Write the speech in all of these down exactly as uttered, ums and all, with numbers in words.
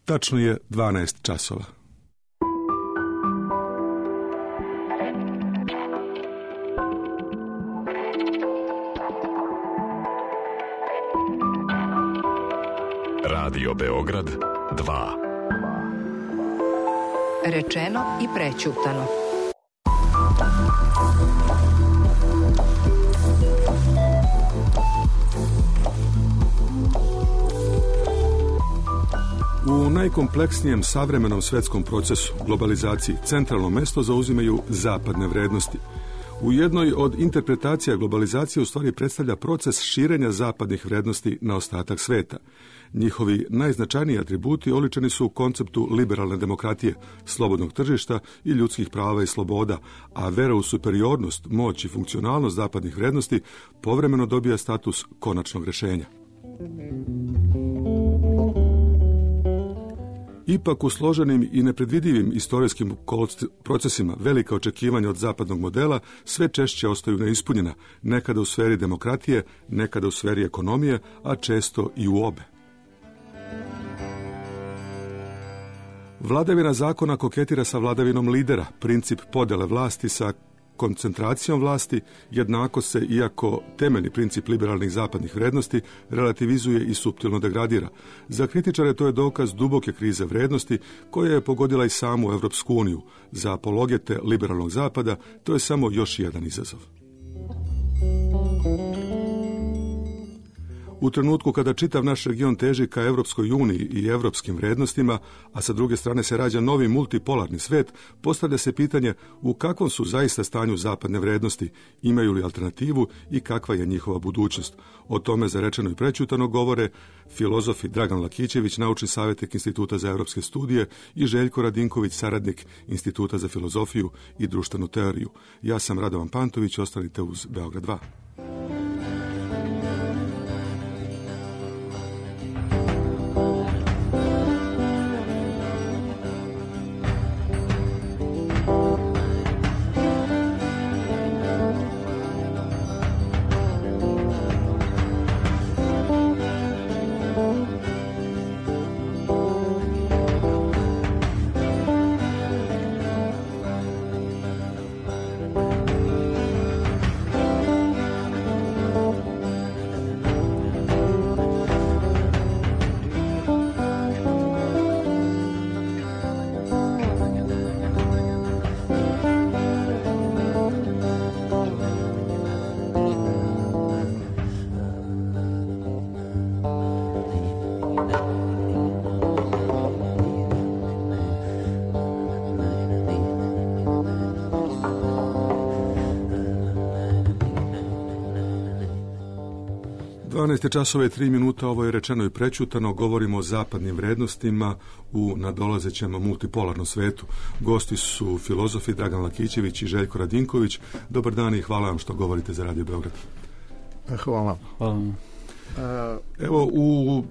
Tačno je dvanaest časova. Radio Beograd dva. Rečeno i prećutano. U najkompleksnijem savremenom svetskom procesu, globalizaciji, centralno mesto zauzimaju zapadne vrednosti. U jednoj od interpretacija globalizacije u stvari predstavlja proces širenja zapadnih vrednosti na ostatak sveta. Njihovi najznačajniji atributi oličeni su u konceptu liberalne demokratije, slobodnog tržišta i ljudskih prava i sloboda, a vera u superiornost, moć i funkcionalnost zapadnih vrednosti povremeno dobija status konačnog rješenja. Ipak u složenim i nepredvidivim istorijskim procesima velika očekivanja od zapadnog modela sve češće ostaju neispunjena, nekada u sferi demokratije, nekada u sferi ekonomije, a često i u obe. Vladavina zakona koketira sa vladavinom lidera, princip podele vlasti sa koncentracijom vlasti, jednako se, iako temeljni princip liberalnih zapadnih vrednosti, relativizuje i suptilno degradira. Za kritičare to je dokaz duboke krize vrednosti koja je pogodila i samu Evropsku uniju. Za apologete liberalnog zapada to je samo još jedan izazov. U trenutku kada čitav naš region teži ka Evropskoj uniji i evropskim vrednostima, a sa druge strane se rađa novi multipolarni svet, postavlja se pitanje u kakvom su zaista stanju zapadne vrednosti, imaju li alternativu i kakva je njihova budućnost. O tome za rečeno i prećutano govore filozofi Dragan Lakićević, naučni savjetnik Instituta za evropske studije, i Željko Radinković, saradnik Instituta za filozofiju i društvenu teoriju. Ja sam Radovan Pantović, ostanite uz Beograd dva. dvanaest časova i tri minuta, ovo je rečeno i prećutano, govorimo o zapadnim vrednostima u nadolazećem multipolarnom svetu. Gosti su filozofi Dragan Lakićević i Željko Radinković. Dobar dan i hvala vam što govorite za Radio Beograd. Hvala. Hvala. Evo, u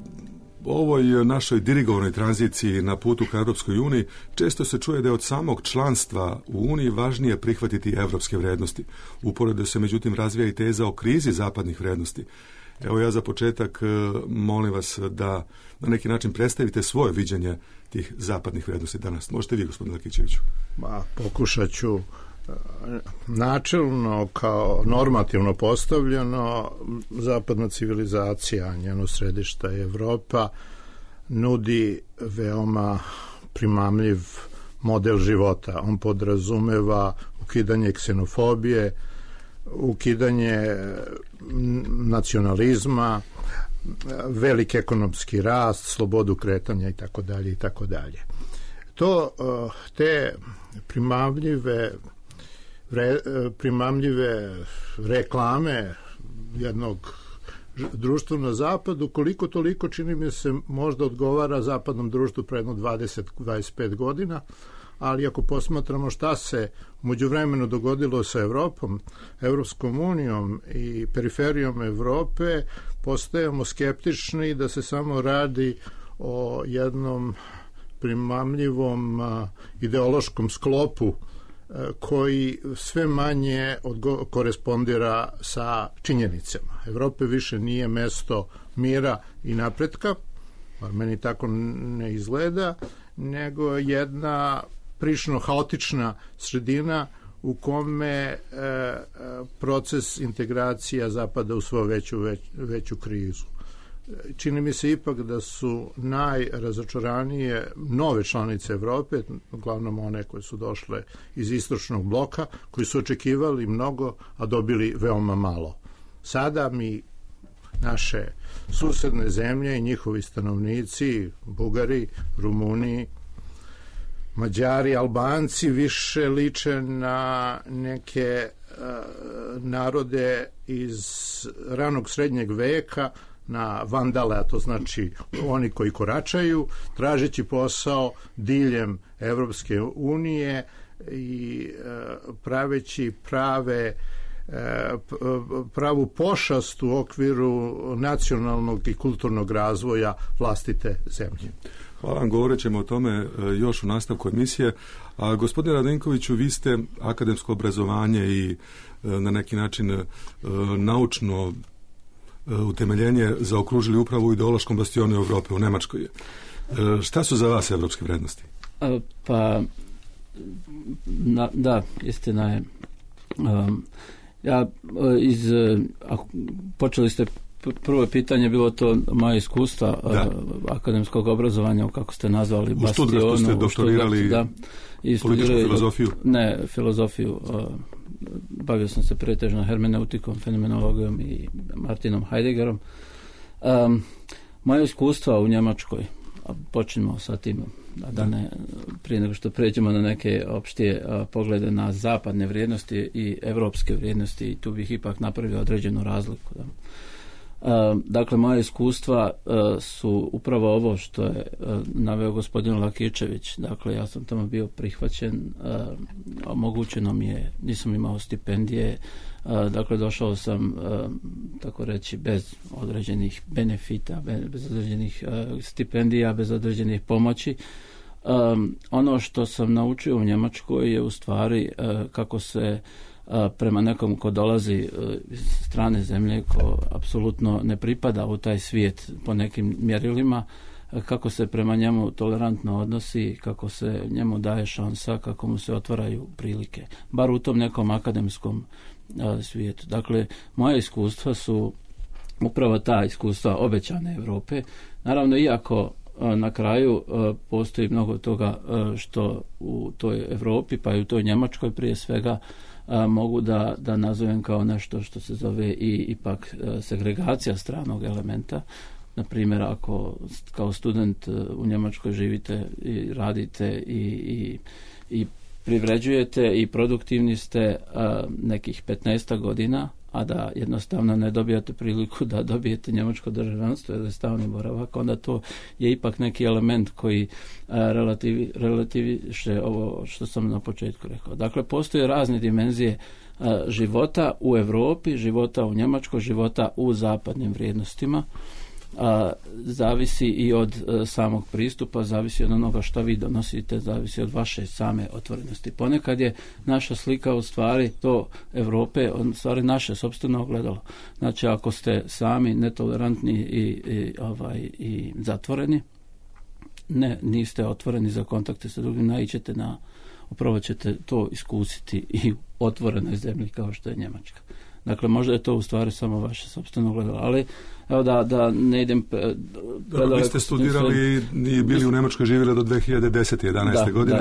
ovoj našoj dirigovanoj tranziciji na putu ka Evropskoj uniji često se čuje da je od samog članstva u Uniji važnije prihvatiti evropske vrednosti. Uporedo se međutim razvija i teza o krizi zapadnih vrednosti. Evo, ja za početak molim vas da na neki način predstavite svoje viđenje tih zapadnih vrednosti danas. Možete vi, gospodine Lakićeviću? Ma, pokušat ću. Načelno, kao normativno postavljeno, zapadna civilizacija, njeno središta i Evropa, nudi veoma primamljiv model života. On podrazumeva ukidanje ksenofobije, ukidanje nacionalizma, veliki ekonomski rast, slobodu kretanja i tako dalje i tako dalje. To, te primamljive Re, primamljive reklame jednog društva na zapadu, koliko toliko, čini mi se, možda odgovara zapadnom društvu pre jedno dvadeset do dvadeset pet godina, ali ako posmatramo šta se u međuvremenu dogodilo sa Evropom, Evropskom unijom i periferijom Evrope, postajemo skeptični da se samo radi o jednom primamljivom ideološkom sklopu koji sve manje odgo- korespondira sa činjenicama. Evropa više nije mesto mira i napretka, bar meni tako ne izgleda, nego jedna prilično haotična sredina u kome e, proces integracija zapada u svoju veću, već, veću krizu. Čini mi se ipak da su najrazočaranije nove članice Evrope, uglavnom one koje su došle iz istočnog bloka, koji su očekivali mnogo, a dobili veoma malo. Sada mi naše susedne zemlje i njihovi stanovnici, Bugari, Rumuni, Mađari, Albanci više liče na neke uh, narode iz ranog srednjeg veka, na vandale, a to znači oni koji koračaju, tražeći posao diljem Evropske unije i uh, praveći prave pravu pošast u okviru nacionalnog i kulturnog razvoja vlastite zemlje. Hvala vam, govorit ćemo o tome još u nastavku emisije. A gospodine Radenkoviću, vi ste akademsko obrazovanje i na neki način naučno utemeljenje zaokružili upravo u ideološkom bastionu Evrope, u Nemačkoj. Šta su za vas evropske vrednosti? Pa, na, da, istina je. Um, Ja, iz, počeli ste, prvo pitanje bilo to moje iskustva da. akademskog obrazovanja, kako ste nazvali, u Stuttgartu ste doktorirali da, i političku filozofiju? Ne, filozofiju. Bavio sam se pretežno hermeneutikom, fenomenologijom i Martinom Heideggerom. Um, moje iskustva u Njemačkoj, počnemo sa tim, da ne, prije nego što pređemo na neke opštije a, poglede na zapadne vrijednosti i evropske vrijednosti, i tu bih ipak napravio određenu razliku. Da. A, dakle, moje iskustva a, su upravo ovo što je a, naveo gospodin Lakičević. Dakle, ja sam tamo bio prihvaćen, a, omogućeno mi je, nisam imao stipendije, a, dakle, došao sam, a, tako reći, bez određenih benefita, bez određenih a, stipendija, bez određenih pomoći. Um, ono što sam naučio u Njemačkoj je u stvari uh, kako se uh, prema nekom ko dolazi uh, iz strane zemlje, ko apsolutno ne pripada u taj svijet po nekim mjerilima, uh, kako se prema njemu tolerantno odnosi, kako se njemu daje šansa, kako mu se otvaraju prilike, bar u tom nekom akademskom uh, svijetu. Dakle, moje iskustva su upravo ta iskustva obećane Evrope. Naravno, iako na kraju postoji mnogo toga što u toj Evropi, pa i u toj Njemačkoj prije svega, mogu da, da nazovem kao nešto što se zove i ipak segregacija stranog elementa. Na primjer, ako kao student u Njemačkoj živite i radite i, i, i privređujete i produktivni ste nekih petnaest godina, a da jednostavno ne dobijate priliku da dobijete njemačko državljanstvo ili stalni boravak, onda to je ipak neki element koji relativi, relativiše ovo što sam na početku rekao. Dakle, postoje razne dimenzije života u Evropi, života u Njemačkoj, života u zapadnim vrijednostima. A, zavisi i od a, samog pristupa, zavisi od onoga što vi donosite, zavisi od vaše same otvorenosti. Ponekad je naša slika u stvari to Evrope, u stvari naše sopstveno ogledalo. Znači, ako ste sami netolerantni i, i, ovaj, i zatvoreni, ne, niste otvoreni za kontakte sa drugim, naićete na, upravo ćete to iskusiti i u otvorenoj zemlji kao što je Njemačka. Dakle, možda je to u stvari samo vaše sopstveno gledalo, ali evo da, da ne idem... Dobro, vi ste studirali i bili u Njemačkoj, živjeli do dve hiljade desete jedanaeste da, godine.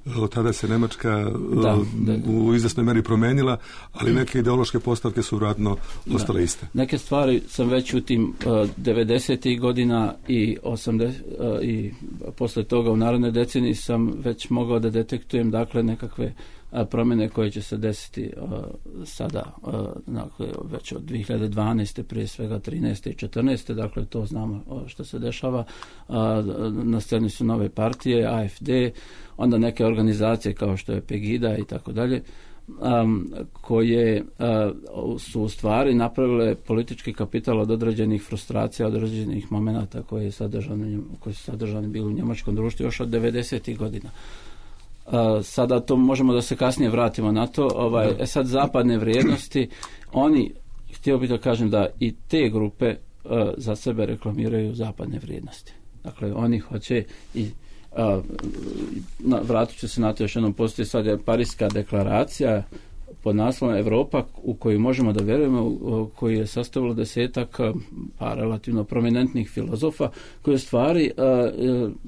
Da. Od tada se Njemačka da, da, da. u izvesnoj meri promenila, ali neke ideološke postavke su vratno ostale iste. Neke stvari sam već u tim uh, devedesetih godina i, osamdeset, uh, i posle toga u narednoj deceniji sam već mogao da detektujem, dakle, nekakve a, promjene koje će se desiti uh, sada, uh, dakle, već od dve hiljade dvanaeste, prije svega trinaeste i četrnaeste, dakle, to znamo uh, što se dešava. Uh, na sceni su nove partije, A F D, onda neke organizacije kao što je Pegida i tako dalje, um, koje uh, su u stvari napravile politički kapital od određenih frustracija, od određenih momenata koji, je sadržani, koji su sadržani bili u njemačkom društvu još od devedesetih godina. Uh, sada to možemo da se kasnije vratimo na to. Ovaj, e sad, zapadne vrijednosti, oni, htio bih da kažem da i te grupe uh, za sebe reklamiraju zapadne vrijednosti. Dakle, oni hoće i a, na, vratit ću se na to još jednom, postoji sad je Pariška deklaracija pod naslovom Europa u koju možemo da vjerujemo, koji je sastavilo desetak pa relativno prominentnih filozofa koji u stvari a,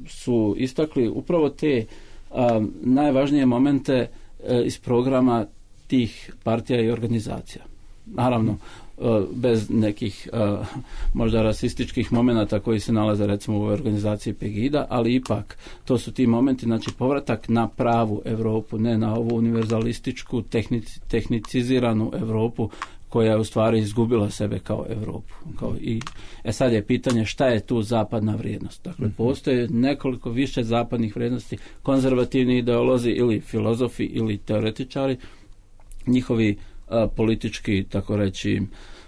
su istakli upravo te a, najvažnije momente a, iz programa tih partija i organizacija. Naravno, bez nekih uh, možda rasističkih momenata koji se nalaze recimo u ovoj organizaciji Pegida, ali ipak to su ti momenti, znači povratak na pravu Europu, ne na ovu univerzalističku, tehnici, tehniciziranu Europu koja je u stvari izgubila sebe kao Europu. Kao i, e sad je pitanje šta je tu zapadna vrijednost. Dakle, mm-hmm. postoje nekoliko više zapadnih vrijednosti, konzervativni ideolozi ili filozofi ili teoretičari, njihovi a, politički, tako reći,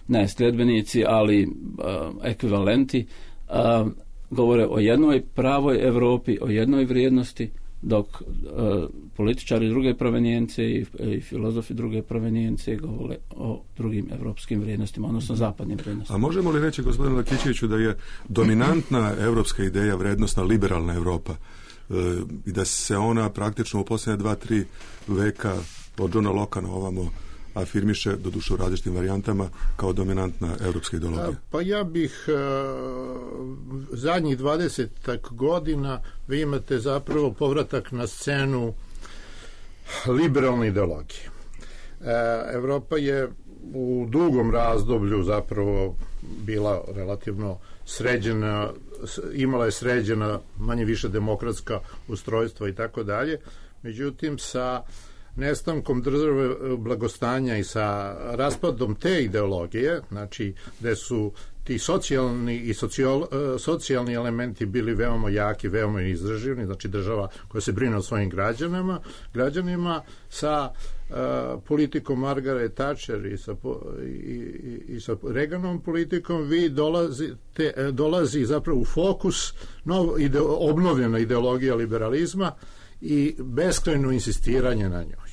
ne sljedbenici, ali a, ekvivalenti, a, govore o jednoj pravoj Europi, o jednoj vrijednosti, dok a, političari druge provenijencije i, i filozofi druge provenijencije govore o drugim evropskim vrijednostima, odnosno zapadnim vrijednostima. A možemo li reći, gospodine Lakićeviću, da je dominantna evropska ideja vrijednostna liberalna Europa e, i da se ona praktično u posljednje dva, tri veka od Johna Locka na ovamo afirmiše, doduše u različitim varijantama, kao dominantna evropska ideologija? Pa ja bih uh, zadnjih dvadesetak godina vi imate zapravo povratak na scenu liberalne ideologije. Uh, Evropa je u dugom razdoblju zapravo bila relativno sređena, imala je sređena manje više demokratska ustrojstva i tako dalje. Međutim, sa nestankom države blagostanja i sa raspadom te ideologije, znači gde su ti socijalni i socijal, socijalni elementi bili veoma jaki, veoma izdrživni, znači država koja se brine o svojim građanima, građanima sa uh, politikom Margaret Thatcher i sa, i, i, i sa Reaganom politikom, vi dolazite, dolazi zapravo u fokus nov, ide, obnovljena ideologija liberalizma i beskrajno insistiranje na njoj.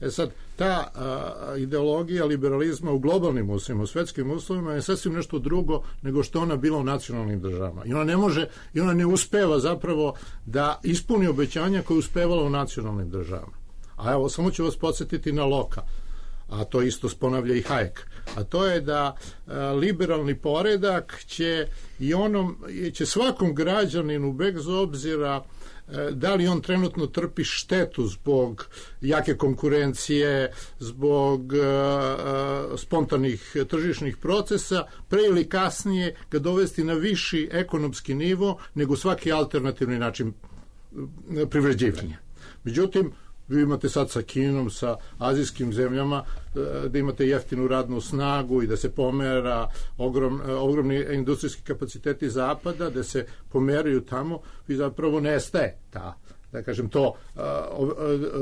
E sad, ta a, ideologija liberalizma u globalnim uslovima, u svetskim uslovima je sasvim nešto drugo nego što ona bila u nacionalnim državama. I ona ne može, i ona ne uspeva zapravo da ispuni obećanja koje je uspevala u nacionalnim državama. A evo, samo ću vas podsjetiti na Locka, a to isto ponavlja i Hayek. A to je da a, liberalni poredak će i onom, će svakom građaninu bez obzira da li on trenutno trpi štetu zbog jake konkurencije, zbog uh, spontanih tržišnih procesa, pre ili kasnije ga dovesti na viši ekonomski nivo nego svaki alternativni način privređivanja. Međutim, vi imate sad sa Kinom, sa azijskim zemljama, da imate jeftinu radnu snagu i da se pomera ogrom, ogromni industrijski kapaciteti zapada, da se pomeraju tamo, vi zapravo nestaje ta, da kažem, to,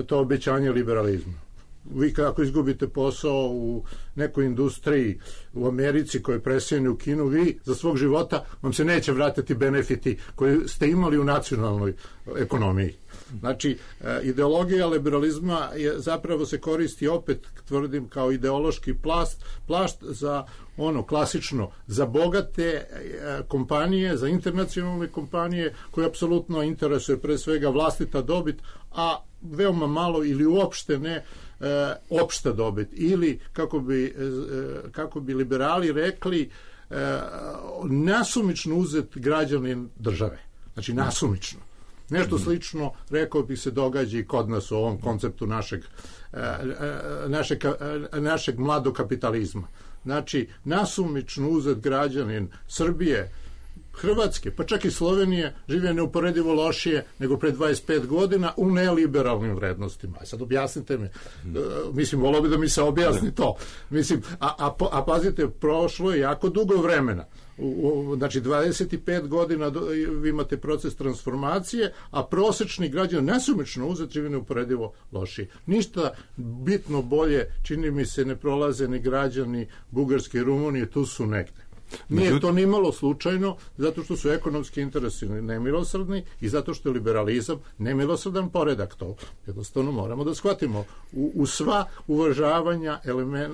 to obećanje liberalizma. Vi kako izgubite posao u nekoj industriji u Americi koja je preseljena u Kinu, vi za svog života vam se neće vratiti benefiti koje ste imali u nacionalnoj ekonomiji. Znači, ideologija liberalizma je, zapravo se koristi, opet tvrdim, kao ideološki plast, plašt za ono klasično, za bogate kompanije, za internacionalne kompanije koje apsolutno interesuje pre svega vlastita dobit, a veoma malo ili uopšte ne e, opšta dobit. Ili, kako bi, e, kako bi liberali rekli, e, nasumično uzet građanin države. Znači, nasumično. Nešto slično, rekao bih, se događa i kod nas u ovom konceptu našeg, našeg, našeg mladog kapitalizma. Znači, nasumično uzet građanin Srbije, Hrvatske, pa čak i Slovenije, žive neuporedivo lošije nego pre dvadeset pet godina u neliberalnim vrednostima. Sad objasnite mi, mislim, volio bi da mi se objasni to. Mislim, a, a, a pazite, prošlo je jako dugo vremena. U, u, znači dvadeset pet godina do, vi imate proces transformacije, a prosečni građan nesumično uzet živi neuporedivo lošiji. Ništa bitno bolje, čini mi se, ne prolaze ni građani Bugarske i Rumunije, tu su negde. Nije to nimalo slučajno, zato što su ekonomski interesi nemilosrdni i zato što je liberalizam nemilosrdan poredak. To jednostavno moramo da shvatimo u, u sva uvažavanja elemen,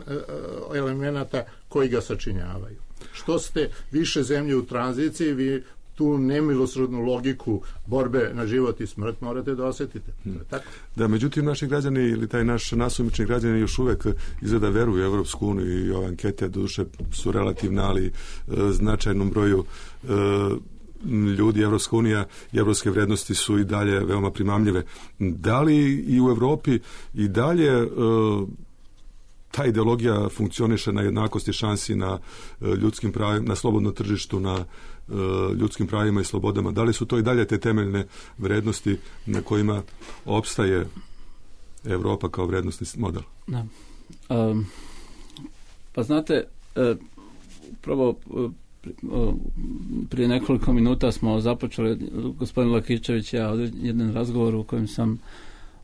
elemenata koji ga sačinjavaju. Što ste više zemlje u tranziciji, vi tu nemilosrdnu logiku borbe na život i smrt morate da osjetite. Hmm. Tako? Da, međutim, naši građani ili taj naš nasumični građani još uvek izgleda veruju u Evropsku uniju i ove ankete doduše su relativne, ali e, značajnom broju e, ljudi, Evropska unija i evropske vrednosti su i dalje veoma primamljive. Da li i u Evropi i dalje e, ta ideologija funkcioniše na jednakosti šansi, na e, ljudskim pravima, na slobodnom tržištu, na e, ljudskim pravima i slobodama? Da li su to i dalje te temeljne vrednosti na kojima opstaje Evropa kao vrednostni model? Da. Um, pa znate, e, prvo prije nekoliko minuta smo započeli, gospodin Lakićević i ja, jedan razgovor u kojem sam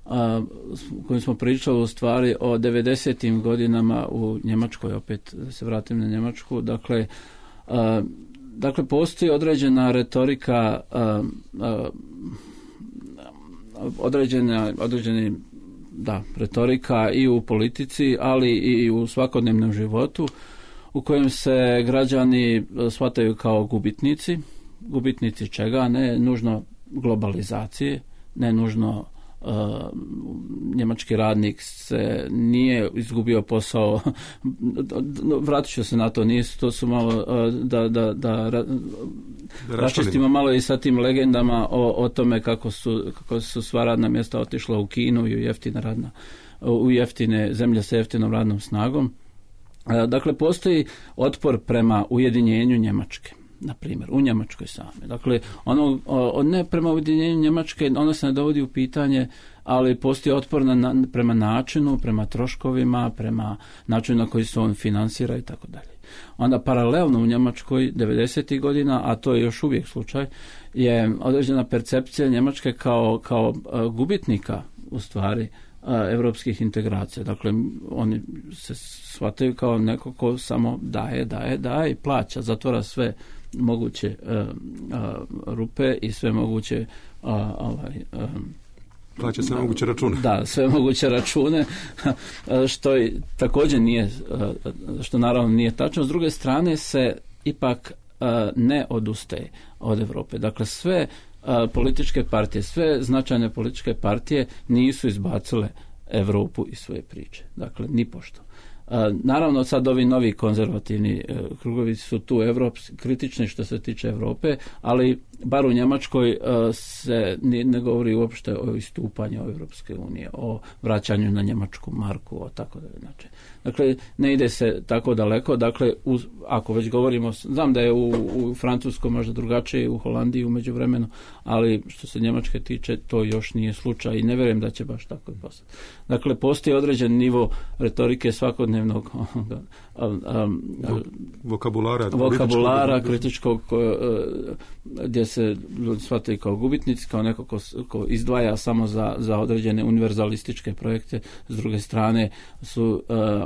a, u kojem smo pričali u stvari o devedesetim godinama u Njemačkoj, opet se vratim na Njemačku. Dakle, a, dakle postoji određena retorika, a, a, određena, određeni da, retorika i u politici, ali i u svakodnevnom životu, u kojem se građani shvataju kao gubitnici. Gubitnici čega? Ne nužno globalizacije, ne nužno uh, njemački radnik se nije izgubio posao. Vratit ću se na to, nije, to su malo uh, da, da, da, da raščistimo malo i sa tim legendama o, o tome kako su, kako su sva radna mjesta otišla u Kinu i u jeftine, radna, u jeftine zemlje sa jeftinom radnom snagom. Dakle, postoji otpor prema ujedinjenju Njemačke, na primjer, u Njemačkoj same. Dakle, ono, ne prema ujedinjenju Njemačke, ono se ne dovodi u pitanje, ali postoji otpor na, na, prema načinu, prema troškovima, prema načinu na koji se on finansira i tako dalje. Onda paralelno u Njemačkoj devedesetih godina, a to je još uvijek slučaj, je određena percepcija Njemačke kao, kao gubitnika u stvari evropskih integracija. Dakle, oni se shvataju kao neko ko samo daje, daje, daje i plaća, zatvara sve moguće uh, uh, rupe i sve moguće uh, ovaj, uh, plaća sve moguće račune. Da, sve moguće račune, što i također nije, što naravno nije tačno. S druge strane se ipak uh, ne odustaje od Europe. Dakle, sve političke partije, sve značajne političke partije nisu izbacile Europu iz svoje priče. Dakle, nipošto. Naravno, sad ovi novi konzervativni krugovi su tu evropski, kritični što se tiče Europe, ali bar u Njemačkoj se ne govori uopšte o istupanju Europske unije, o vraćanju na njemačku marku, o tako dalje. Znači, dakle, ne ide se tako daleko. Dakle, uz, ako već govorimo, znam da je u, u Francuskoj možda drugačije, u Holandiji u međuvremenu, ali što se Njemačke tiče, to još nije slučaj i ne vjerujem da će baš tako i postati. Dakle, postoji određen nivo retorike svakodnevnog um, um, vokabulara, vokabulara kritičkog, gdje se ljudi shvataju kao gubitnici, kao neko ko, ko izdvaja samo za, za određene univerzalističke projekte. S druge strane su uh, uh,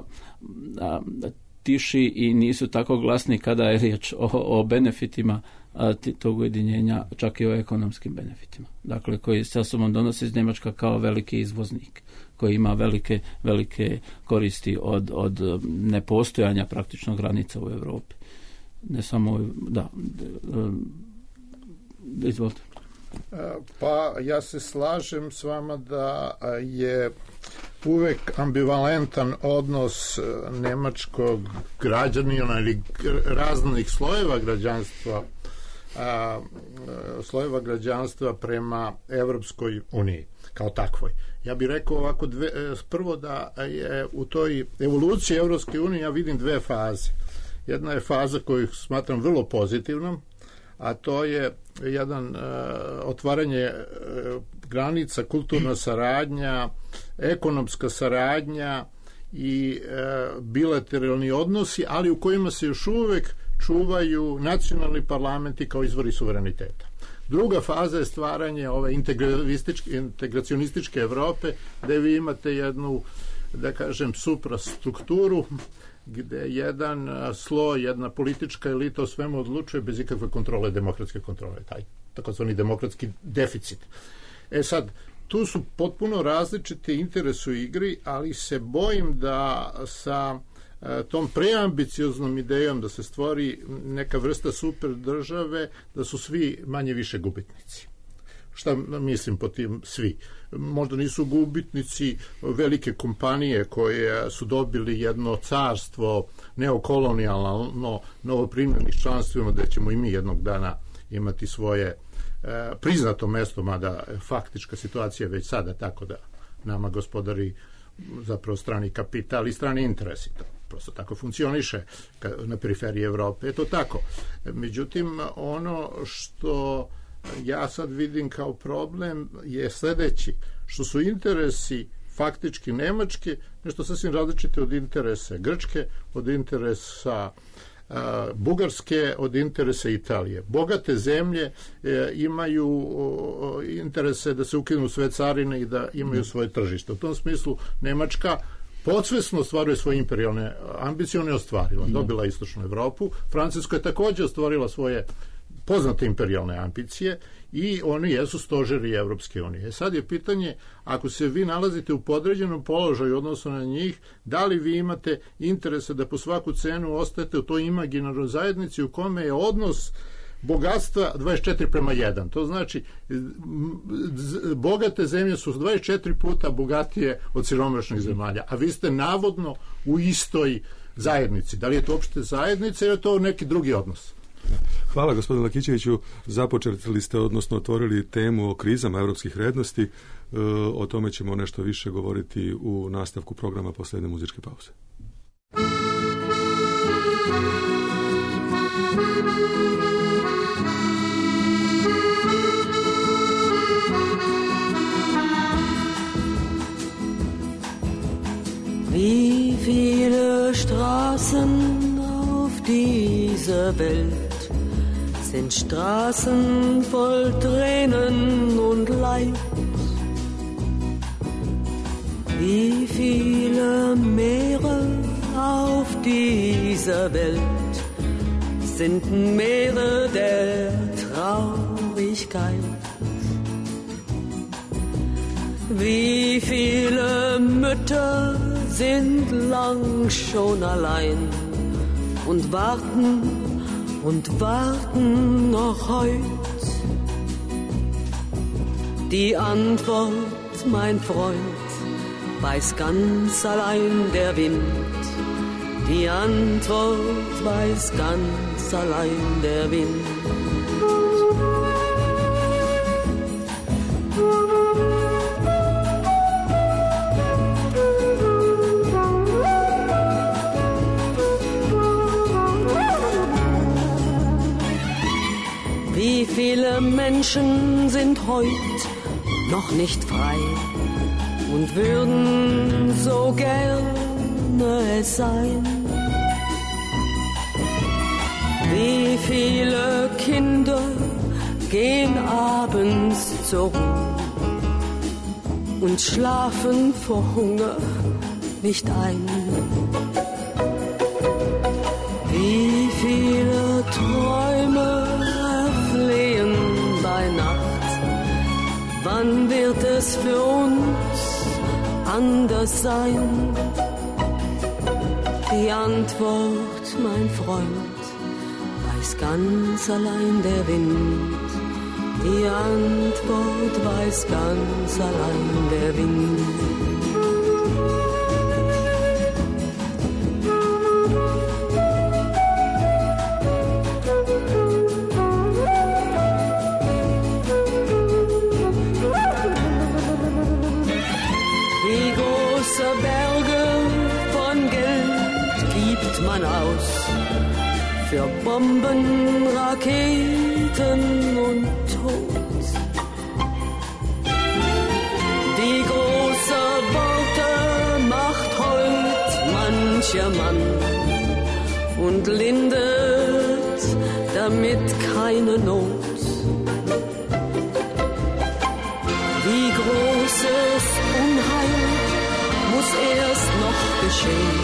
tiši i nisu tako glasni kada je riječ o, o benefitima uh, tog ujedinjenja, čak i o ekonomskim benefitima. Dakle, koji sa sobom donosi iz Njemačka kao veliki izvoznik, koji ima velike, velike koristi od, od nepostojanja praktično granica u Europi. Ne samo, da, izvolite. Pa ja se slažem s vama da je uvek ambivalentan odnos nemačkog građanina ili raznih slojeva građanstva a, slojeva građanstva prema Evropskoj uniji kao takvoj. Ja bih rekao ovako dve, prvo da je u toj evoluciji Evropske unije ja vidim dve faze. Jedna je faza koju smatram vrlo pozitivnom, a to je jedan uh, otvaranje uh, granica, kulturna saradnja, ekonomska saradnja i uh, bilateralni odnosi, ali u kojima se još uvek čuvaju nacionalni parlamenti kao izvori suvereniteta. Druga faza je stvaranje ove integracionističke Evrope, gde vi imate jednu, da kažem, suprastrukturu, gde jedan sloj, jedna politička elita o svemu odlučuje bez ikakve kontrole, demokratske kontrole, taj takozvani demokratski deficit. E sad, tu su potpuno različite interesi u igri, ali se bojim da sa tom preambicioznom idejom da se stvori neka vrsta super države, da su svi manje više gubitnici. Šta mislim po tim svi? Možda nisu gubitnici velike kompanije koje su dobili jedno carstvo neokolonijalno novoprimljenih članstvima, da ćemo i mi jednog dana imati svoje e, priznato mesto, mada faktička situacija je već sada tako da nama gospodari zapravo strani kapital i strani interesi. To prosto tako funkcioniše na periferiji Evrope. Je to tako. Međutim, ono što ja sad vidim kao problem je sledeći, što su interesi faktički Nemačke nešto sasvim različite od interesa Grčke, od interesa uh, Bugarske, od interesa Italije. Bogate zemlje e, imaju o, interese da se ukinu sve carine i da imaju svoje tržište. U tom smislu Nemačka podsvesno ostvaruje svoje imperijalne ambicije, ona je ostvarila. Dobila Istočnu Evropu. Francuska je takođe ostvarila svoje poznate imperijalne ambicije i oni jesu stožeri Evropske unije. Sad je pitanje, ako se vi nalazite u podređenom položaju odnosno na njih, da li vi imate interese da po svaku cenu ostajete u toj imaginarnoj zajednici u kome je odnos bogatstva dvadeset četiri prema jedan. To znači, bogate zemlje su dvadeset četiri puta bogatije od siromašnih zemalja, a vi ste navodno u istoj zajednici. Da li je to uopšte zajednica ili je to neki drugi odnos? Hvala gospodine Lakićeviću. Započeli ste, odnosno otvorili temu o krizama evropskih vrednosti. O tome ćemo nešto više govoriti u nastavku programa posle jedne muzičke pauze. Wie viele Straßen auf dieser Welt sind Straßen voll Tränen und Leid. Wie viele Meere auf dieser Welt sind Meere der Traurigkeit. Wie viele Mütter sind lang schon allein und warten und warten noch heut. Die Antwort, mein Freund, weiß ganz allein der Wind. Die Antwort weiß ganz allein der Wind. Wie viele Menschen sind heut noch nicht frei und würden so gerne es sein. Wie viele Kinder gehen abends zur Ruhe und schlafen vor Hunger nicht ein. Wie viele Träume erflehen bei Nacht. Wann wird es für uns anders sein? Die Antwort, mein Freund, weiß ganz allein der Wind. Die Antwort weiß ganz allein der Wind. Für Bomben, Raketen und Tod. Die große Worte macht heut mancher Mann und lindert damit keine Not. Wie großes Unheil muss erst noch geschehen,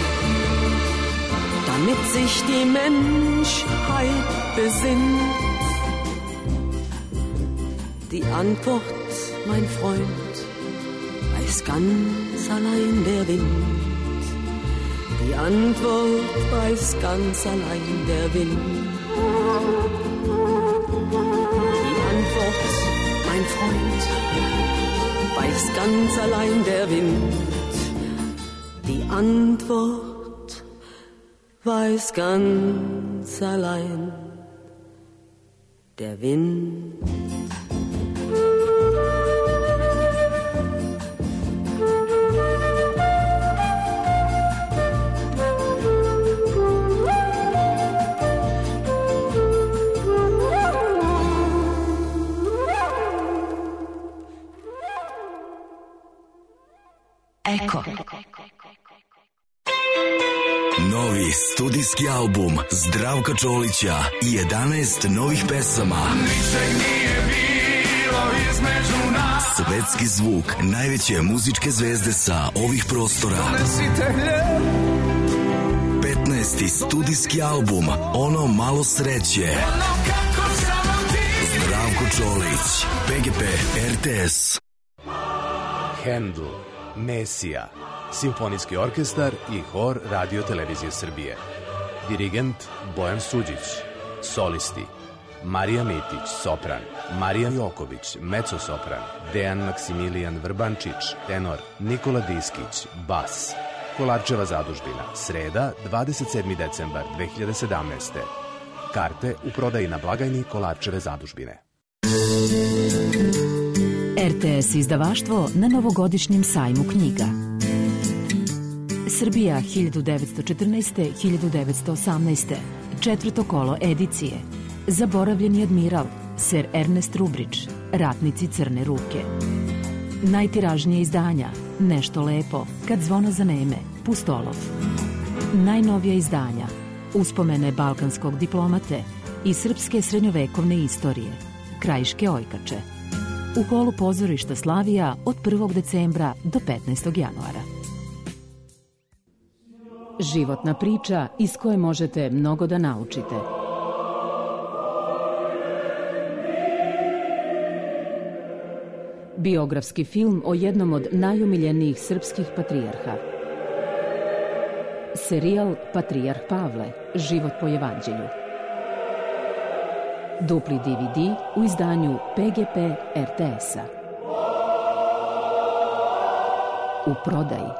damit sich die Menschheit besinnt. Die Antwort, mein Freund, weiß ganz allein der Wind. Die Antwort weiß ganz allein der Wind. Die Antwort, mein Freund, weiß ganz allein der Wind. Die Antwort weiß ganz allein der Wind. Eko. Novi studijski album Zdravka Čolića i jedanaest novih pesama. Ničeg nije bilo između nas. Svetski zvuk najveće muzičke zvezde sa ovih prostora. petnaesti studijski album Ono malo sreće. Zdravko Čolić, P G P R T S. Handel, Mesija, Simfonijski orkestar i hor Radio Televizije Srbije. Dirigent Bojan Suđić. Solisti Marija Mitić, sopran, Marija Joković, mezzo-sopran, Dejan Maksimilijan Vrbančić, tenor, Nikola Diskić, bas. Kolarčeva zadužbina, sreda, dvadeset sedmi decembar dve hiljade sedamnaeste. Karte u prodaji na blagajni Kolarčeve zadužbine. R T S izdavaštvo na novogodišnjem sajmu knjiga. Srbija hiljadu devetsto četrnaeste do hiljadu devetsto osamnaeste. Četvrto kolo edicije. Zaboravljeni admiral, Ser Ernest Rubrić, Ratnici crne ruke. Najtiražnije izdanja, Nešto lepo, Kad zvona zaneme, Pustolov. Najnovija izdanja, Uspomene balkanskog diplomate i srpske srednjovekovne istorije, Krajiške ojkače. U holu pozorišta Slavija od prvog decembra do petnaestog januara. Životna priča iz koje možete mnogo da naučite. Biografski film o jednom od najumiljenijih srpskih patrijarha. Serijal Patrijarh Pavle, život po evanđelju. Dupli D V D u izdanju P G P R T S-a. U prodaji.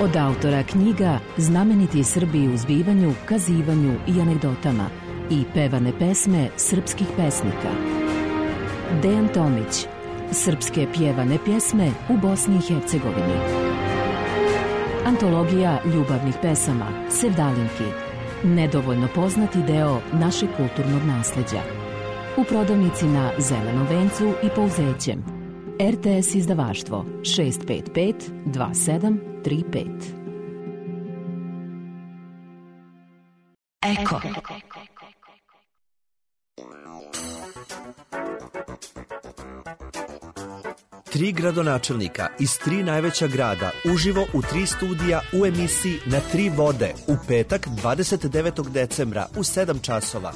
Od autora knjiga Znameniti Srbi u zbivanju, kazivanju i anegdotama i pevane pesme srpskih pesnika. Dejan Tomić, Srpske pjevane pjesme u Bosni i Hercegovini. Antologija ljubavnih pesama, Sevdalinki, nedovoljno poznati deo našeg kulturnog nasleđa. U prodavnici na Zelenom vencu i Pouzećem. R T S izdavaštvo šest pet pet dva sedam tri pet. Eko. Tri gradonačelnika iz tri najveća grada uživo u tri studija u emisiji Na tri vode u petak dvadeset devetog decembra u sedam časova.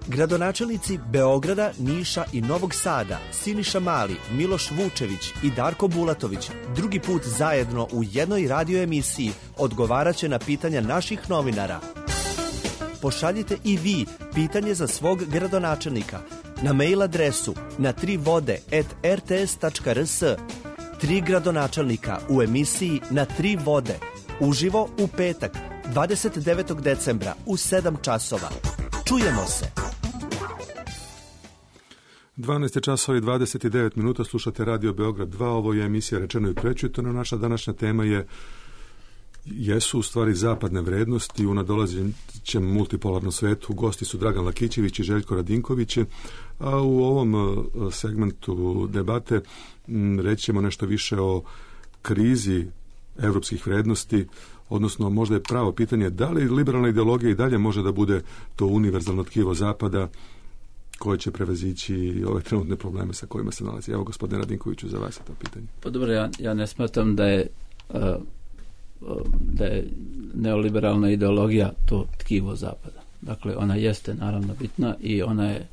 Gradonačelnici Beograda, Niša i Novog Sada, Siniša Mali, Miloš Vučević i Darko Bulatović drugi put zajedno u jednoj radio emisiji odgovaraće na pitanja naših novinara. Pošaljite i vi pitanje za svog gradonačelnika na mail adresu na tri vode at r t s tačka r s. Tri gradonačelnika u emisiji Na tri vode uživo u petak dvadeset devetog decembra u sedam časova. Čujemo se. dvanaest časova i dvadeset devet minuta, slušate Radio Beograd dva, ovo je emisija Rečeno i prečitano. Naša današnja tema je jesu u stvari zapadne vrednosti u nadolazećem multipolarnom svetu. Gosti su Dragan Lakićević i Željko Radinković, a u ovom segmentu debate reći ćemo nešto više o krizi evropskih vrednosti, odnosno možda je pravo pitanje da li liberalna ideologija i dalje može da bude to univerzalno tkivo Zapada koje će prevazići ove trenutne probleme sa kojima se nalazi. Evo, gospodine Radinkoviću, za vas je to pitanje. Pa dobro, ja, ja ne smatram da je uh, da je neoliberalna ideologija to tkivo Zapada. Dakle, ona jeste naravno bitna i ona je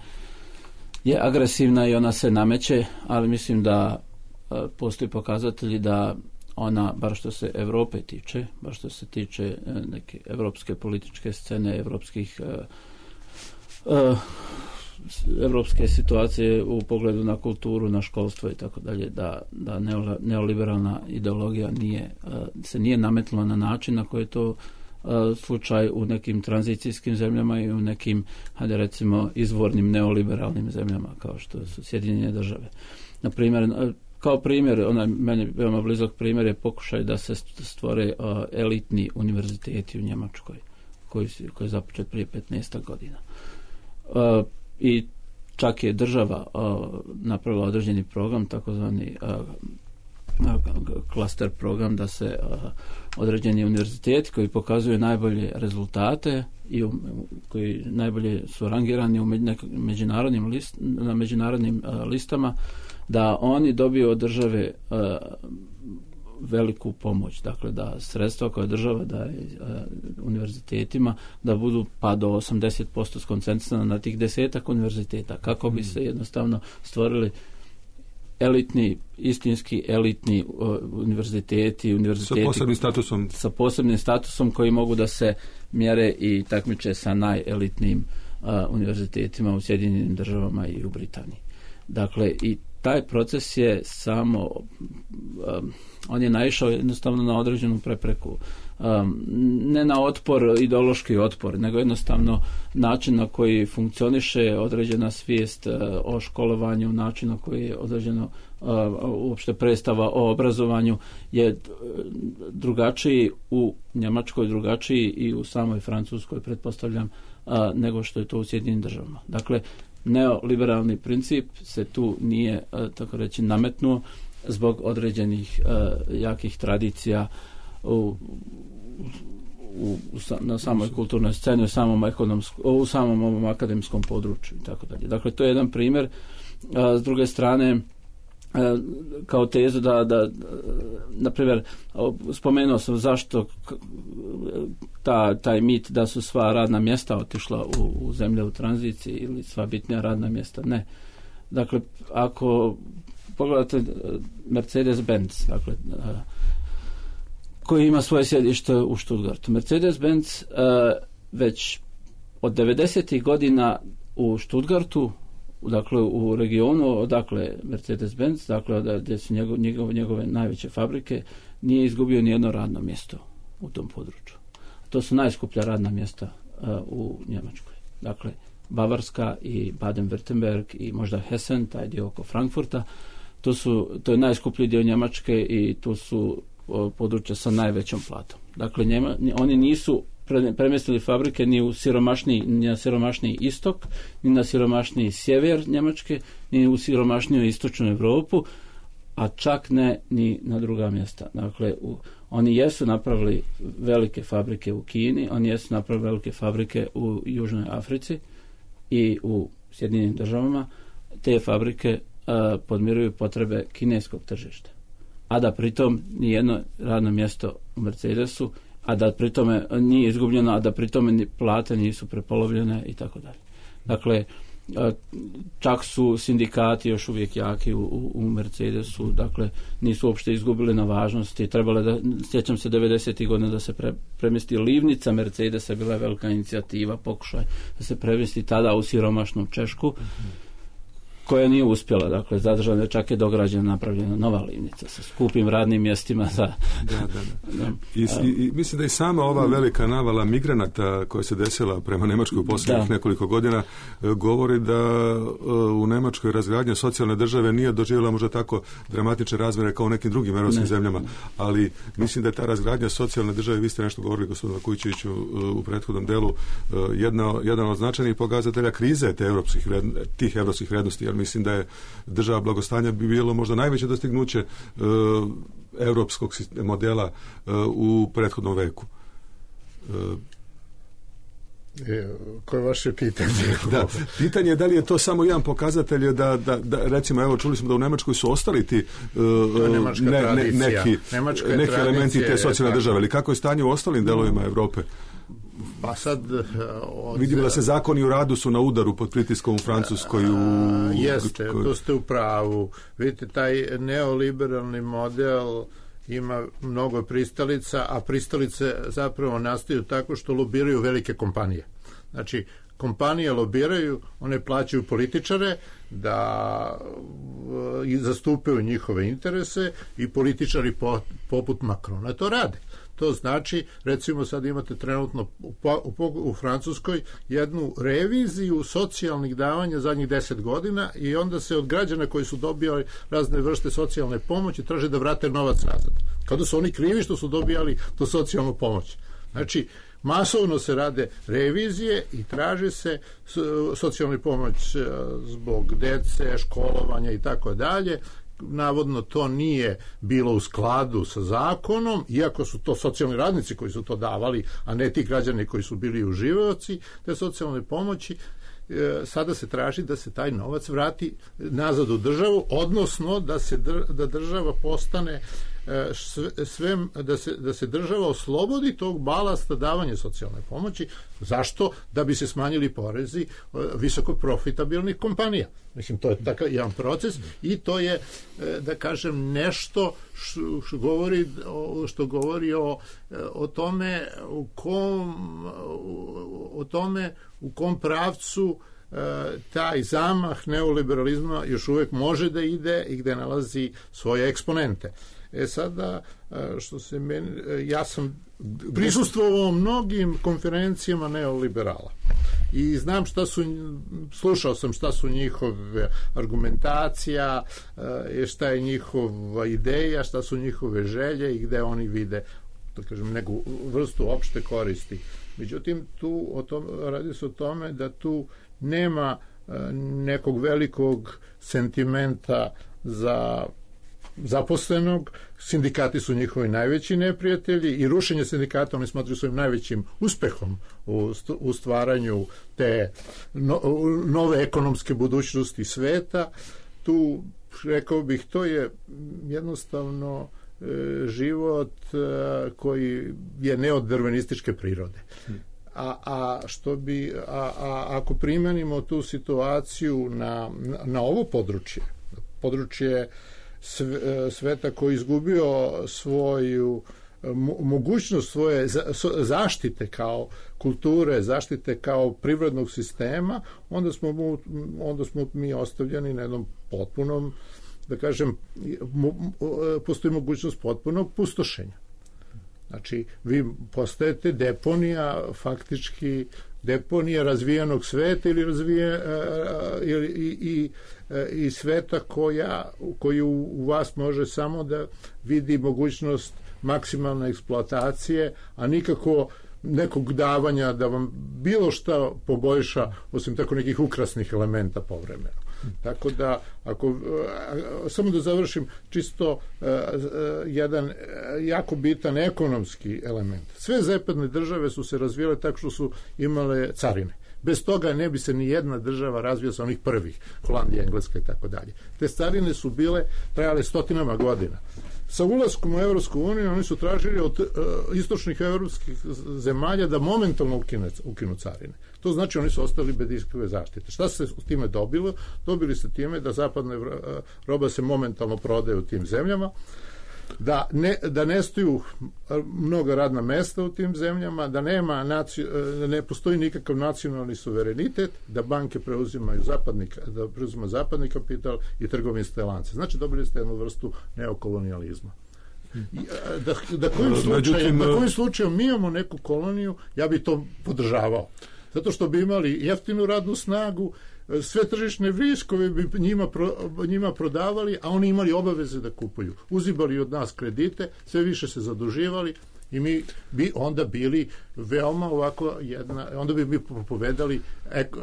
je agresivna i ona se nameće, ali mislim da postoji pokazatelji da ona, bar što se Europe tiče, bar što se tiče neke evropske političke scene, evropskih uh, uh, evropske situacije u pogledu na kulturu, na školstvo i tako dalje, da, da neoliberalna ideologija nije, uh, se nije nametnula na način na koji je to uh, slučaj u nekim tranzicijskim zemljama i u nekim, hajde recimo, izvornim neoliberalnim zemljama kao što su Sjedinjene države. Na primjer, kao primjer, onaj meni veoma blizak primjer je pokušaj da se stvore uh, elitni univerziteti u Njemačkoj, koji, koji je započet prije petnaest godina. Uh, I čak je država uh, napravila određeni program, takozvani uh, klaster program, da se uh, određeni univerziteti koji pokazuju najbolje rezultate i um, koji najbolje su rangirani u međunarodnim list, na međunarodnim uh, listama, da oni dobiju od države uh, veliku pomoć, dakle da sredstva koje država daje uh, univerzitetima da budu pa do osamdeset posto skoncentrisana na tih desetak univerziteta, kako bi se jednostavno stvorili elitni, istinski elitni uh, univerziteti, univerziteti sa posebnim statusom sa posebnim statusom koji mogu da se mjere i takmiče sa najelitnijim uh, univerzitetima u Sjedinjenim državama i u Britaniji. Dakle, i taj proces je samo, um, on je naišao jednostavno na određenu prepreku. Um, ne na otpor, ideološki otpor, nego jednostavno način na koji funkcioniše određena svijest uh, o školovanju, način na koji je određeno uh, uopšte predstava o obrazovanju je drugačiji u Njemačkoj, drugačiji i u samoj Francuskoj, pretpostavljam, uh, nego što je to u Sjedinjenim državama. Dakle, neoliberalni princip se tu nije, tako reći, nametnuo zbog određenih uh, jakih tradicija u, u, u, na samoj kulturnoj sceni, u samom, u samom ovom akademskom području i tako dalje. Dakle, to je jedan primjer. Uh, s druge strane, uh, kao tezu da, da na primjer, spomenuo sam zašto ta, taj mit da su sva radna mjesta otišla u, u zemlje u tranziciji ili sva bitnija radna mjesta. Ne. Dakle, ako pogledate Mercedes-Benz, dakle, koji ima svoje sjedište u Stuttgartu. Mercedes-Benz već od devedesetih godina u Stuttgartu, dakle u regionu odakle Mercedes-Benz, dakle gdje su njegov, njegove, njegove najveće fabrike, nije izgubio ni jedno radno mjesto u tom području. To su najskuplja radna mjesta uh, u Njemačkoj. Dakle, Bavarska i Baden-Württemberg i možda Hessen, taj dio oko Frankfurta, to, su, to je najskuplji dio Njemačke i tu su uh, područja sa najvećom platom. Dakle, Njema, oni nisu pre, premjestili fabrike ni u siromašniji, ni na siromašniji istok, ni na siromašniji sjever Njemačke, ni u siromašniju istočnu Europu, a čak ne ni na druga mjesta. Dakle, u, oni jesu napravili velike fabrike u Kini, oni jesu napravili velike fabrike u Južnoj Africi i u Sjedinjenim državama. Te fabrike a, podmiruju potrebe kineskog tržišta. A da pritom nijedno radno mjesto u Mercedesu, a da pritome nije izgubljeno, a da pritome plate nisu prepolovljene i tako dalje. Dakle, čak su sindikati još uvijek jaki u, u Mercedesu, dakle nisu uopšte izgubili na važnosti. Trebalo da, sjećam se devedesetih godina da se pre, premjesti livnica Mercedesa, bila je velika inicijativa, pokušaj da se premjesti tada u siromašnu Češku, mm-hmm. koja nije uspjela, dakle zadržana, čak je dograđena, napravljena nova livnica sa skupim radnim mjestima za... Da, da, da. I, i, i mislim da i sama ova velika navala migranata koja se desila prema Njemačkoj u posljednjih da. nekoliko godina govori da u Njemačkoj razgradnja socijalne države nije doživjela možda tako dramatične razmjere kao u nekim drugim europskim zemljama, ali mislim da je ta razgradnja socijalne države, vi ste nešto govorili gospodinu Kujčeviću u prethodnom delu, jedna, jedan od značajnih pokazatelja krize te evropskih, tih evropskih vrijednosti. Mislim da je država blagostanja bi bilo možda najveće dostignuće uh, europskog modela uh, u prethodnom veku. Uh, e, koje je vaše pitanje? Da, pitanje je da li je to samo jedan pokazatelj da, da, da recimo, evo čuli smo da u Njemačkoj su ostali ti uh, ne, ne, neki, neki elementi te socijalne države, ali kako je stanje u ostalim delovima Europe? Pa sad... Od... Vidimo da se zakoni u radu su na udaru pod pritiskom u Francuskoj. U... Jeste, to ste u pravu. Vidite, taj neoliberalni model ima mnogo pristalica, a pristalice zapravo nastaju tako što lobiraju velike kompanije. Znači, kompanije lobiraju, one plaćaju političare da i zastupaju njihove interese i političari po, poput Macrona to rade. To znači, recimo sad imate trenutno u, u, u Francuskoj jednu reviziju socijalnih davanja zadnjih deset godina i onda se od građana koji su dobijali razne vrste socijalne pomoći traže da vrate novac nazad. Kada su oni krivi što su dobijali tu socijalnu pomoć. Znači, masovno se rade revizije i traže se socijalna pomoć zbog dece, školovanja i tako dalje. Navodno to nije bilo u skladu sa zakonom, iako su to socijalni radnici koji su to davali, a ne ti građani koji su bili uživaoci te socijalne pomoći. Sada se traži da se taj novac vrati nazad u državu, odnosno da se da država postane sve, da se, da se država oslobodi tog balasta davanja socijalne pomoći. Zašto? Da bi se smanjili porezi visoko profitabilnih kompanija. Mislim, to je takav jedan proces i to je, da kažem, nešto što govori, što govori o, o tome u kom o tome u kom pravcu taj zamah neoliberalizma još uvijek može da ide i gde nalazi svoje eksponente. E sada, što se meni, ja sam prisustvovao mnogim konferencijama neoliberala i znam šta su, slušao sam šta su njihove argumentacija, šta je njihova ideja, šta su njihove želje i gde oni vide, da kažem, neku vrstu opšte koristi. Međutim, tu o tom, radi se o tome da tu nema nekog velikog sentimenta za zaposlenog, sindikati su njihovi najveći neprijatelji i rušenje sindikata oni smatruju svojim najvećim uspehom u, u stvaranju te no, nove ekonomske budućnosti sveta. Tu, rekao bih, to je jednostavno e, život e, koji je neodrvenističke prirode. A, a što bi a, a ako primenimo tu situaciju na, na ovo područje, područje sveta koji je izgubio svoju mogućnost svoje zaštite kao kulture, zaštite kao privrednog sistema, onda smo, mu, onda smo mi ostavljeni na jednom potpunom, da kažem, postoji mogućnost potpunog pustošenja. Znači, vi postajete deponija, faktički deponija razvijenog sveta ili razvije i, i, i sveta koja, koji u vas može samo da vidi mogućnost maksimalne eksploatacije, a nikako nekog davanja da vam bilo šta poboljša, osim tako nekih ukrasnih elementa povremeno. Tako da, ako, samo da završim, čisto uh, jedan uh, jako bitan ekonomski element. Sve zapadne države su se razvijale tako što su imale carine. Bez toga ne bi se ni jedna država razvila sa onih prvih, Holandija, Engleska i tako dalje. Te carine su bile, trajale stotinama godina. Sa ulaskom u Evropsku uniju oni su tražili od uh, istočnih evropskih zemalja da momentalno ukine, ukinu carine. To znači oni su ostali bez ikakve zaštite. Šta se s time dobilo? Dobili se time da zapadna uh, roba se momentalno prodaje u tim zemljama, da ne, da nestaju mnoga radna mesta u tim zemljama, da nema naci, da ne postoji nikakav nacionalni suverenitet, da banke preuzimaju zapadni, da preuzimaju zapadni kapital i trgovinske lance. Znači dobili ste jednu vrstu neokolonijalizma. Da, da kojim slučajem, da kojim slučajem mi imamo neku koloniju, ja bi to podržavao. Zato što bi imali jeftinu radnu snagu, sve tržišne viškove bi njima, pro, njima prodavali, a oni imali obaveze da kupuju. Uzimali od nas kredite, sve više se zaduživali i mi bi onda bili veoma ovako jedna, onda bi mi propovedali ek, uh,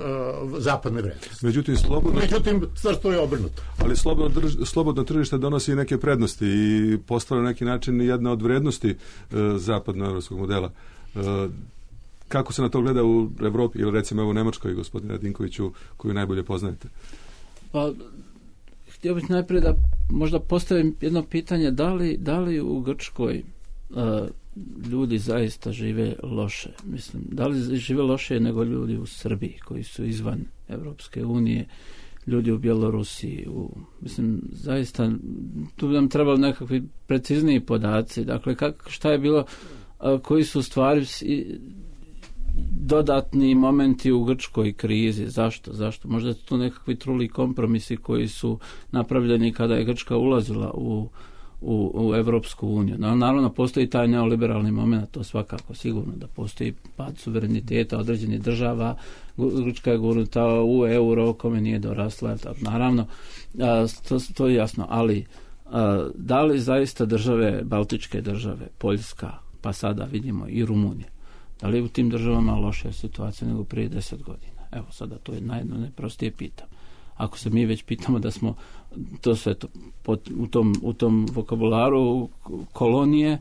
zapadne vrednosti. Međutim, slobodno... Međutim, stvar to je obrnuto. Ali slobodno, drž, slobodno tržište donosi i neke prednosti i postavlja na neki način jedna od vrednosti uh, zapadnoevropskog modela. Uh, Kako se na to gleda u Evropi ili recimo evo u Nemačkoj, gospodine Radinkoviću, koju najbolje poznajete? Pa, htio bih najprije da možda postavim jedno pitanje, da li, da li u Grčkoj uh, ljudi zaista žive loše. Mislim, da li žive loše nego ljudi u Srbiji koji su izvan Evropske unije, ljudi u Bjelorusiji, u, mislim, zaista tu bi nam trebalo nekakvi precizniji podaci. Dakle, kak, šta je bilo, a, koji su stvari dodatni momenti u grčkoj krizi. Zašto? Zašto? Možda su to nekakvi truli kompromisi koji su napravljeni kada je Grčka ulazila u u, u Evropsku uniju. No, naravno, postoji taj neoliberalni moment, to svakako sigurno da postoji pad suvereniteta određenih država. Grčka je gurnuta u euro, kome nije dorasla, naravno, a, to, to je jasno, ali a, da li zaista države, Baltičke države, Poljska, pa sada vidimo i Rumunija, da li u tim državama lošija situacija nego prije deset godina? Evo, sada to je najedno najprostije pitam. Ako se mi već pitamo da smo to sve to, pot, u, tom, u tom vokabularu kolonije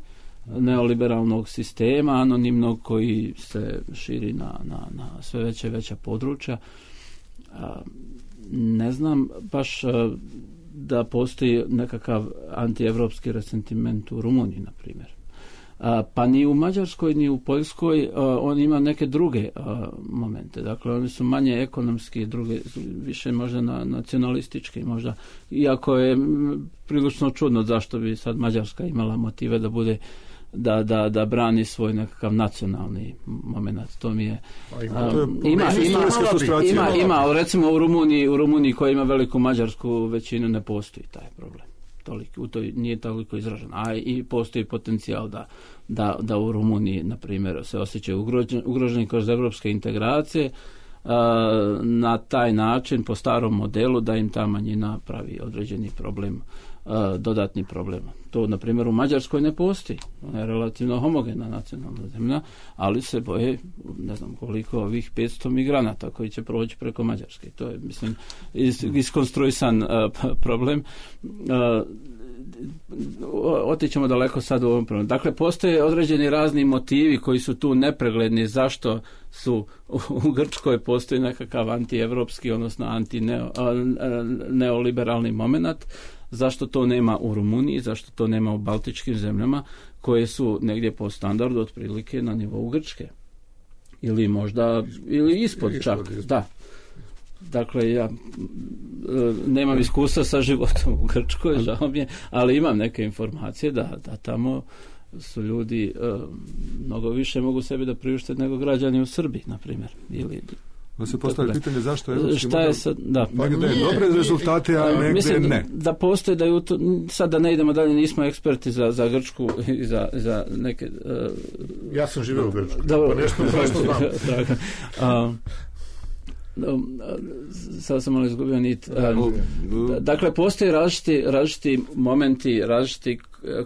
neoliberalnog sistema, anonimnog koji se širi na, na, na sve veće i veća područja, a, ne znam baš a, da postoji nekakav antievropski resentiment u Rumuniji, na primjer. A, pa ni u Mađarskoj ni u Poljskoj a, on ima neke druge a, momente. Dakle, oni su manje ekonomski, druge, više možda na, nacionalistički, možda, iako je m, prilično čudno zašto bi sad Mađarska imala motive da bude da, da, da brani svoj nekakav nacionalni moment. To mi je a, ima, ima, ima, ima, ima, recimo u Rumuniji, u Rumuniji koja ima veliku mađarsku većinu ne postoji taj problem. Toliko, u to nije toliko izražen, a i postoji potencijal da, da, da u Rumuniji, na primjer, se osjećaju ugroženi, ugroženi kroz evropske integracije a, na taj način, po starom modelu, da im ta manjina pravi određeni problem, a, dodatni problem. To, na primjer, u Mađarskoj ne postoji. Ona je relativno homogena nacionalna zemlja, ali se boje, ne znam koliko, ovih petsto migranata koji će proći preko Mađarske. To je, mislim, is, iskonstruisan uh, problem. Uh, otićemo daleko sad u ovom problemu. Dakle, postoje određeni razni motivi koji su tu nepregledni, zašto su u, u Grčkoj postoji nekakav antievropski, odnosno anti-neoliberalni moment. Zašto to nema u Rumuniji, zašto to nema u baltičkim zemljama koje su negdje po standardu otprilike na nivou Grčke. Ili možda, ili ispod, ispod čak, ispod. Da. Dakle, ja nemam iskustva sa životom u Grčkoj, žao mi je, ali imam neke informacije da, da tamo su ljudi uh, mnogo više mogu sebi da priušte nego građani u Srbiji, na primjer. Ili da se postavlja pitanje zašto je šta je sad, da. Negde je dobre rezultate, a negde mislim, ne. Da postoje da je to, sad da ne idemo dalje, nismo eksperti za, za Grčku i za, za neke... Uh, ja sam živio u Grčkoj, da, pa nešto, nešto znam. uh, sad sam malo izgubio nit. Dakle, postoje različiti, različiti momenti, različiti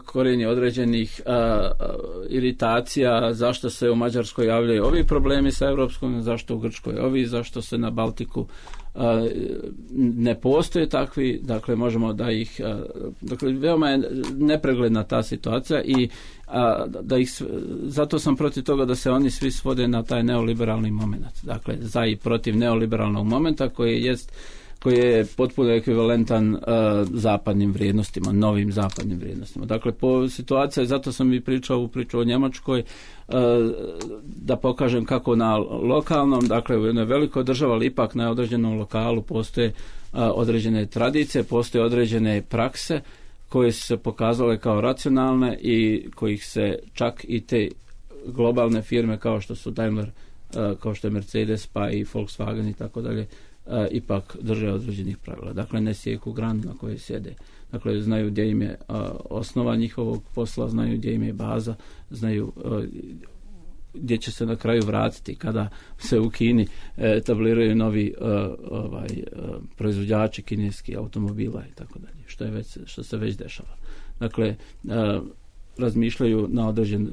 korijeni određenih a, a, iritacija, zašto se u Mađarskoj javljaju ovi problemi sa Evropskom, zašto u Grčkoj ovi, zašto se na Baltiku a, ne postoje takvi, dakle možemo da ih, a, dakle veoma je nepregledna ta situacija i a, da ih, zato sam protiv toga da se oni svi svode na taj neoliberalni moment. Dakle, za i protiv neoliberalnog momenta koji jest koji je potpuno ekvivalentan uh, zapadnim vrijednostima, novim zapadnim vrijednostima. Dakle, po situaciji, zato sam i pričao u priču o Njemačkoj, uh, da pokažem kako na lokalnom, dakle u jednoj velikoj državi, ali ipak na određenom lokalu postoje uh, određene tradicije, postoje određene prakse koje su se pokazale kao racionalne i kojih se čak i te globalne firme kao što su Daimler, uh, kao što je Mercedes, pa i Volkswagen i tako dalje, Uh, ipak drže određenih pravila. Dakle, ne sjeku granu na kojoj sjede. Dakle, znaju gdje im je uh, osnova njihovog posla, znaju gdje im je baza, znaju uh, gdje će se na kraju vratiti kada se u Kini etabliraju novi uh, ovaj, uh, proizvođači kineski automobila i tako dalje, što je već, što se već dešava. Dakle, uh, razmišljaju na određen uh,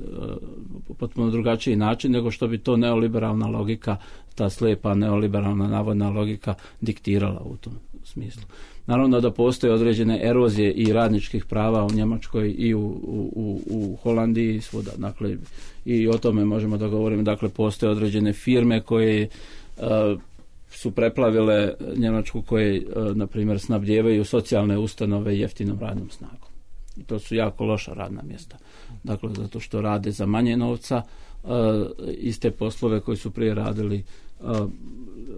potpuno drugačiji način nego što bi to neoliberalna logika, ta slijepa neoliberalna navodna logika diktirala u tom smislu. Naravno da postoje određene erozije i radničkih prava u Njemačkoj i u, u, u Holandiji i svuda. Dakle, i o tome možemo da govorimo. Dakle, postoje određene firme koje uh, su preplavile Njemačku, koje, uh, na primjer, snabdijevaju socijalne ustanove jeftinom radnom snagom. I to su jako loša radna mjesta. Dakle, zato što rade za manje novca, uh, iste poslove koji su prije radili uh,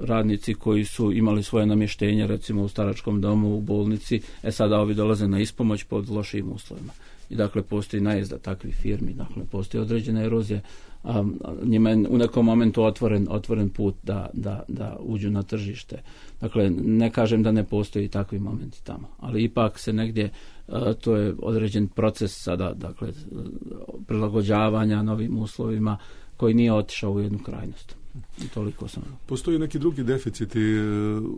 radnici koji su imali svoje namještenje, recimo u staračkom domu, u bolnici, e sada ovi dolaze na ispomoć pod lošim uslovima. I dakle, postoji najezda takvih firmi, dakle, postoji određena erozija. Um, njima je u nekom momentu otvoren, otvoren put da, da, da uđu na tržište. Dakle, ne kažem da ne postoji takvi momenti tamo, ali ipak se negdje, uh, to je određen proces sada, dakle, prilagođavanja novim uslovima koji nije otišao u jednu krajnost. I toliko sam. Postoji neki drugi deficiti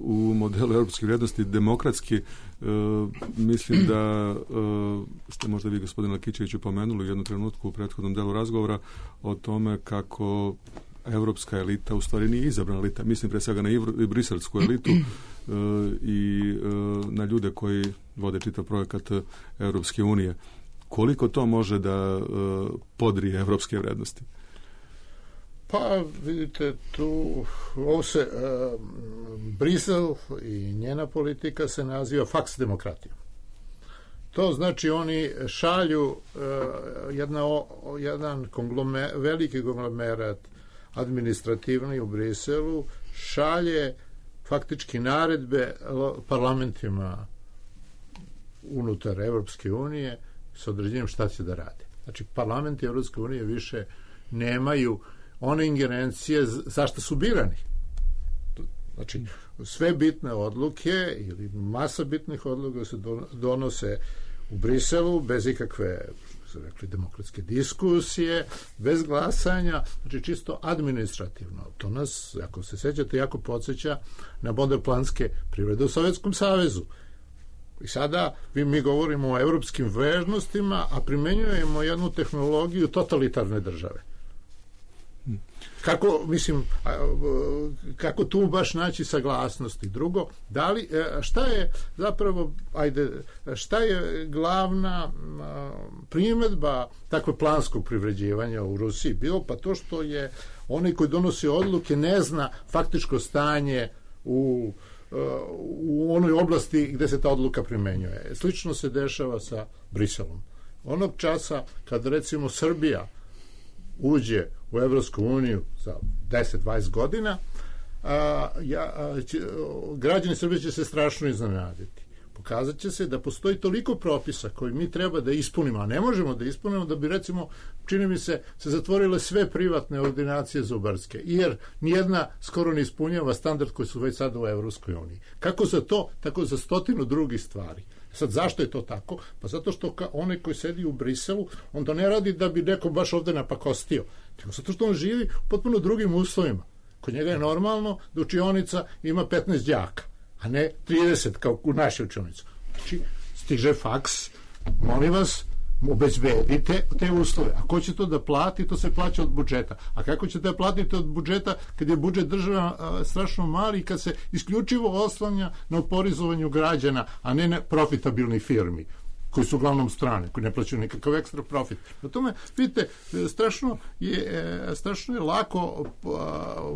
u modelu europskih vrijednosti, demokratski. Mislim da ste možda vi, gospodin Lakićević, pomenuli u jednu trenutku u prethodnom delu razgovora o tome kako evropska elita u stvari nije izabrana elita. Mislim pre svega na briselsku elitu i na ljude koji vode čitav projekat Europske unije. Koliko to može da podrije evropske vrijednosti? Pa, vidite, tu ovo se, uh, Brisel i njena politika se naziva faks demokratijom. To znači oni šalju uh, jedna, o, jedan konglome, veliki konglomerat administrativni u Briselu, šalje faktički naredbe parlamentima unutar Evropske unije s određenjem šta će da rade. Znači, parlamenti Evropske unije više nemaju one ingerencije zašto su birani. Znači, sve bitne odluke ili masa bitnih odluka se donose u Briselu bez ikakve, što su rekli, demokratske diskusije, bez glasanja, znači čisto administrativno. To nas, ako se sećate, jako podsjeća na moderplanske privrede u Sovjetskom savezu. I sada vi, mi govorimo o evropskim vrijednostima, a primenjujemo jednu tehnologiju totalitarne države. Kako, mislim, kako tu baš naći saglasnosti? Drugo, da li, šta je zapravo, ajde, šta je glavna primjedba takve planskog privređivanja u Rusiji bilo? Pa to što je onaj koji donosi odluke ne zna faktičko stanje u, u onoj oblasti gde se ta odluka primenjuje. Slično se dešava sa Briselom. Onog časa kad recimo Srbija uđe u Evropsku uniju za deset do dvadeset godina, a, ja, a, će, građani Srbije će se strašno iznenaditi. Pokazat će se da postoji toliko propisa koji mi treba da ispunimo, a ne možemo da ispunimo, da bi, recimo, čini mi se, se zatvorile sve privatne ordinacije zubarske, jer nijedna skoro ne ispunjava standard koji su već sada u Evropskoj uniji. Kako za to, tako za stotinu drugih stvari. Sad, zašto je to tako? Pa zato što ka, onaj koji sedi u Briselu, on to ne radi da bi neko baš ovde napakostio, nego zato što on živi u potpuno drugim uslovima. Kod njega je normalno da učionica ima petnaest đaka, a ne trideset kao u našoj učionici. Znači, stiže faks, molim vas, obezbedite te uslove. A ko će to da plati? To se plaća od budžeta. A kako ćete da platite od budžeta kad je budžet država a, strašno mali i kad se isključivo oslanja na oporezovanju građana, a ne na profitabilnih firmi koji su uglavnom strane, koji ne plaćaju nikakav ekstra profit. Na tome, vidite, strašno je, strašno je lako a,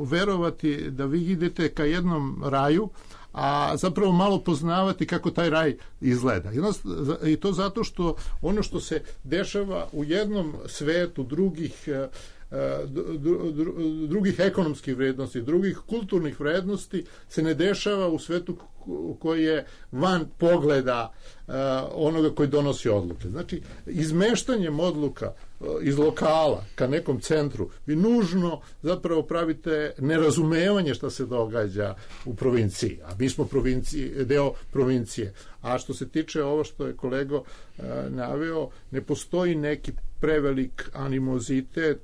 verovati da vi idete ka jednom raju, a zapravo malo poznavati kako taj raj izgleda. I to zato što ono što se dešava u jednom svetu drugih drugih ekonomskih vrednosti, drugih kulturnih vrednosti se ne dešava u svetu koji je van pogleda onoga koji donosi odluke. Znači, izmeštanjem odluka iz lokala ka nekom centru vi nužno zapravo pravite nerazumevanje šta se događa u provinciji, a mi smo provinciji, deo provincije. A što se tiče ovo što je kolego naveo, ne postoji neki prevelik animozitet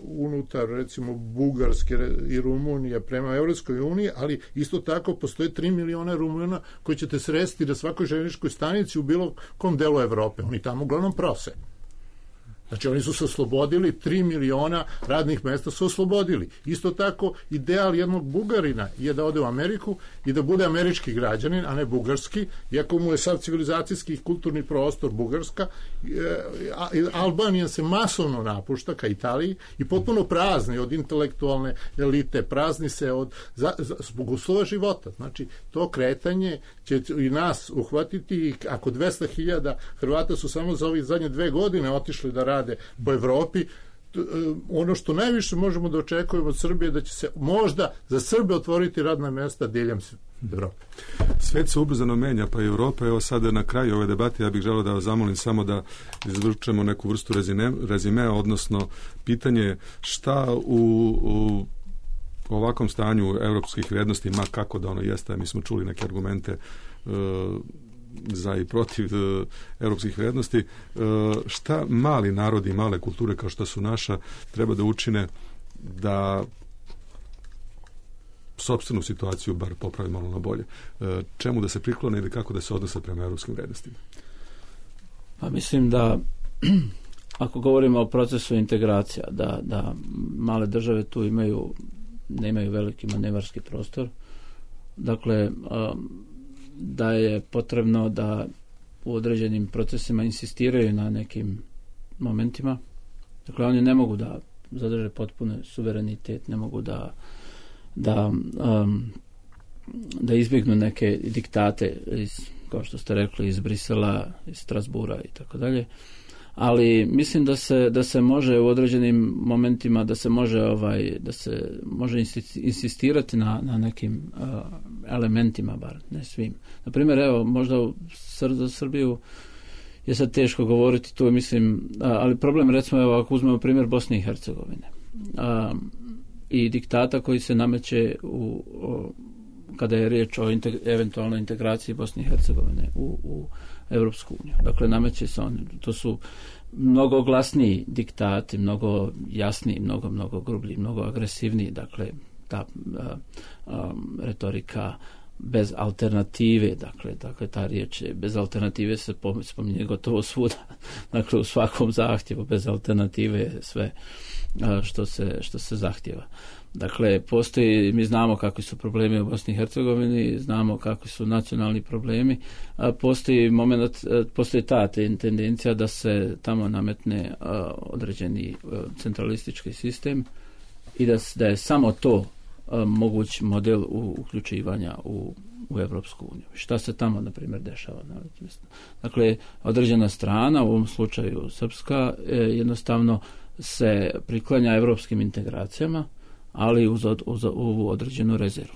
unutar, recimo, Bugarske i Rumunije prema Evropskoj uniji, ali isto tako postoje tri miliona Rumuna koji ćete sresti na svakoj željezničkoj stanici u bilo kom delu Evrope. Oni tamo uglavnom prose. Znači oni su se oslobodili, tri miliona radnih mesta su oslobodili. Isto tako ideal jednog Bugarina je da ode u Ameriku i da bude američki građanin, a ne bugarski, iako mu je sav civilizacijski i kulturni prostor Bugarska. Albanija se masovno napušta ka Italiji i potpuno prazni od intelektualne elite, prazni se od za, za, zbog uslova života. Znači to kretanje će i nas uhvatiti i ako dvesta hiljada Hrvata su samo za ovih zadnje dve godine otišli da rade po Evropi, ono što najviše možemo da očekujemo od Srbije da će se možda za Srbe otvoriti radna mesta diljem Evrope. Svet se ubrzano menja, pa i Evropa. Evo sada na kraju ove debate ja bih želeo da vas zamolim samo da izvučemo neku vrstu rezime, rezimea, odnosno pitanje šta u, u ovakvom stanju evropskih vrijednosti, ma kako da ono jeste, mi smo čuli neke argumente e, za i protiv e, evropskih vrijednosti, e, šta mali narodi i male kulture kao što su naša treba da učine da sopstvenu situaciju bar popravi malo na bolje. E, čemu da se priklone ili kako da se odnose prema evropskim vrijednostima? Pa mislim da ako govorimo o procesu integracija, da, da male države tu imaju nemaju veliki manevarski prostor. Dakle, da je potrebno da u određenim procesima insistiraju na nekim momentima. Dakle, oni ne mogu da zadrže potpuni suverenitet, ne mogu da da, um, da izbjegnu neke diktate iz, kao što ste rekli, iz Brisela, iz Strasbura i tako dalje. Ali mislim da se da se može u određenim momentima da se može ovaj da se može insistirati na na nekim uh, elementima, bar ne svim. Na primjer, evo možda u Sr- Srbiju je sad teško govoriti tu, mislim, uh, ali problem, recimo, evo ako uzmemo primjer Bosne i Hercegovine uh, i diktata koji se nameće u, o, kada je riječ o integ- eventualnoj integraciji Bosne i Hercegovine u, u Evropsku uniju. Dakle, nameće se oni. To su mnogo glasniji diktati, mnogo jasniji, mnogo, mnogo grublji, mnogo agresivniji. Dakle, ta a, a, retorika bez alternative, dakle, dakle ta riječ bez alternative se spominje gotovo svuda. Dakle, u svakom zahtjevu bez alternative sve a, što se, što se zahtjeva. Dakle, postoji, mi znamo kakvi su problemi u Bosni i Hercegovini, znamo kakvi su nacionalni problemi, a postoji moment, postoji ta tendencija da se tamo nametne a, određeni a, centralistički sistem i da, da je samo to a, moguć model u, uključivanja u, u Evropsku uniju. Šta se tamo, na primjer, dešava? Dakle, određena strana, u ovom slučaju srpska, jednostavno se priklanja evropskim integracijama, ali uz, uz, uz određenu rezervu.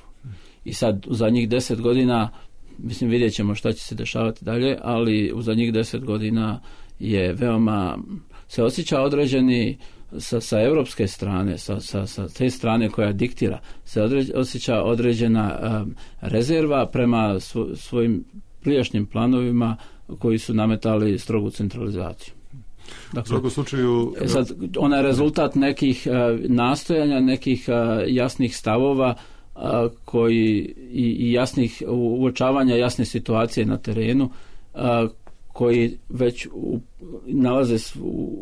I sad u zadnjih deset godina, mislim, vidjet ćemo šta će se dešavati dalje, ali u zadnjih deset godina je veoma, se osjeća određeni sa, sa evropske strane, sa, sa, sa te strane koja diktira, se određ, osjeća određena um, rezerva prema svo, svojim prijašnjim planovima koji su nametali strogu centralizaciju. Dakle, u svakom slučaju sad, ona je rezultat nekih uh, nastojanja, nekih uh, jasnih stavova uh, koji i, i jasnih uočavanja jasne situacije na terenu uh, koji već u, nalaze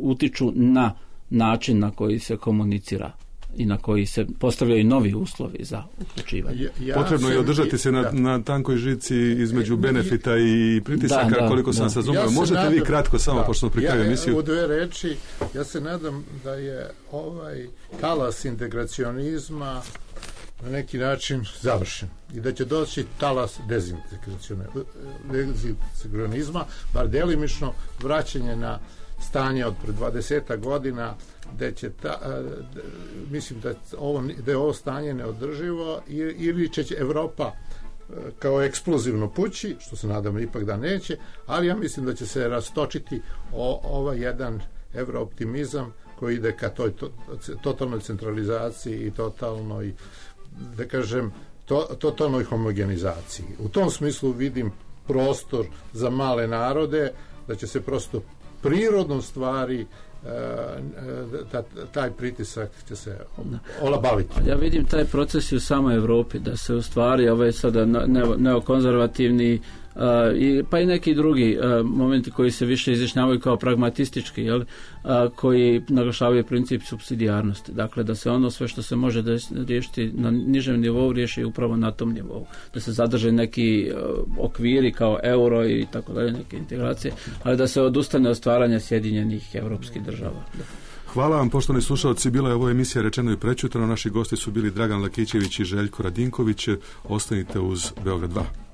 utiču na način na koji se komunicira i na koji se postavljaju novi uslovi za uključivanje. Ja, ja Potrebno je održati se na, na tankoj žici između benefita i pritisaka, da, da, koliko sam se razumio. Ja Možete nadam, vi kratko samo, da, pošto smo pri kraju emisiju. U dve reči, ja se nadam da je ovaj talas integracionizma na neki način završen i da će doći talas dezintegracionizma, bar delimično vraćanje na stanje od pred dvadeset godina, da će ta, da, mislim da, ovo, da je ovo stanje neodrživo ili će Evropa kao eksplozivno pući, što se nadamo ipak da neće, ali ja mislim da će se rastočiti o, ovaj jedan evrooptimizam koji ide ka toj to, totalnoj centralizaciji i totalnoj, da kažem, to, totalnoj homogenizaciji. U tom smislu vidim prostor za male narode, da će se prosto prirodnom stvari ta, taj pritisak će se olabaviti. Ja vidim taj proces u samoj Evropi, da se u stvari ove sada neokonzervativni i, pa i neki drugi uh, momenti koji se više izjašnjavaju kao pragmatistički, jel, uh, koji naglašavaju princip supsidijarnosti. Dakle, da se ono sve što se može da riješiti na nižem nivou riješi upravo na tom nivou. Da se zadrže neki uh, okviri kao euro i tako dalje, neke integracije, ali da se odustane od stvaranja sjedinjenih evropskih država. Da. Hvala vam, poštovani slušalci. Bila je ovo emisija Rečeno i prečutano. Naši gosti su bili Dragan Lakićević i Željko Radinković. Ostanite uz Beograd dva.